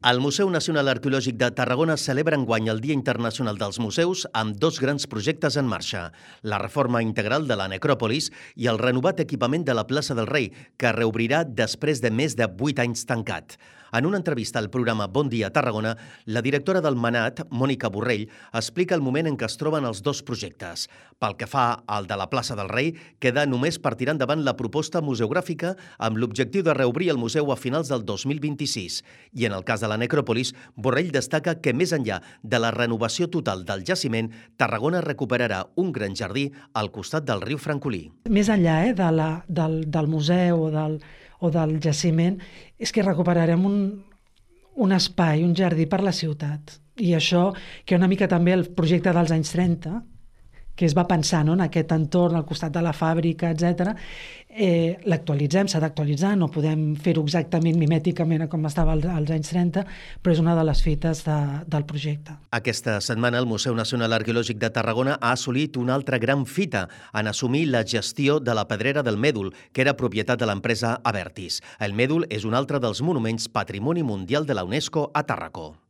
El Museu Nacional Arqueològic de Tarragona celebra enguany el Dia Internacional dels Museus amb dos grans projectes en marxa: la reforma integral de la necròpolis i el renovat equipament de la plaça del Rei, que reobrirà després de més de 8 anys tancat. En una entrevista al programa Bon Dia Tarragona, la directora del MANAT, Mònica Borrell, explica el moment en què es troben els dos projectes. Pel que fa al de la plaça del Rei, queda només per tirar endavant la proposta museogràfica amb l'objectiu de reobrir el museu a finals del 2026. I en el cas de la necròpolis, Borrell destaca que més enllà de la renovació total del jaciment, Tarragona recuperarà un gran jardí al costat del riu Francolí. Més enllà del museu o del jaciment, és que recuperarem un espai, un jardí per la ciutat. I això, que una mica també el projecte dels anys 30, que es va pensar en aquest entorn al costat de la fàbrica, etc., l'actualitzem, s'ha d'actualitzar, no podem fer-ho exactament mimèticament com estava als anys 30, però és una de les fites del projecte. Aquesta setmana el Museu Nacional Arqueològic de Tarragona ha assolit una altra gran fita en assumir la gestió de la Pedrera del Mèdol, que era propietat de l'empresa Abertis. El Mèdol és un altre dels monuments Patrimoni Mundial de la UNESCO a Tàrraco.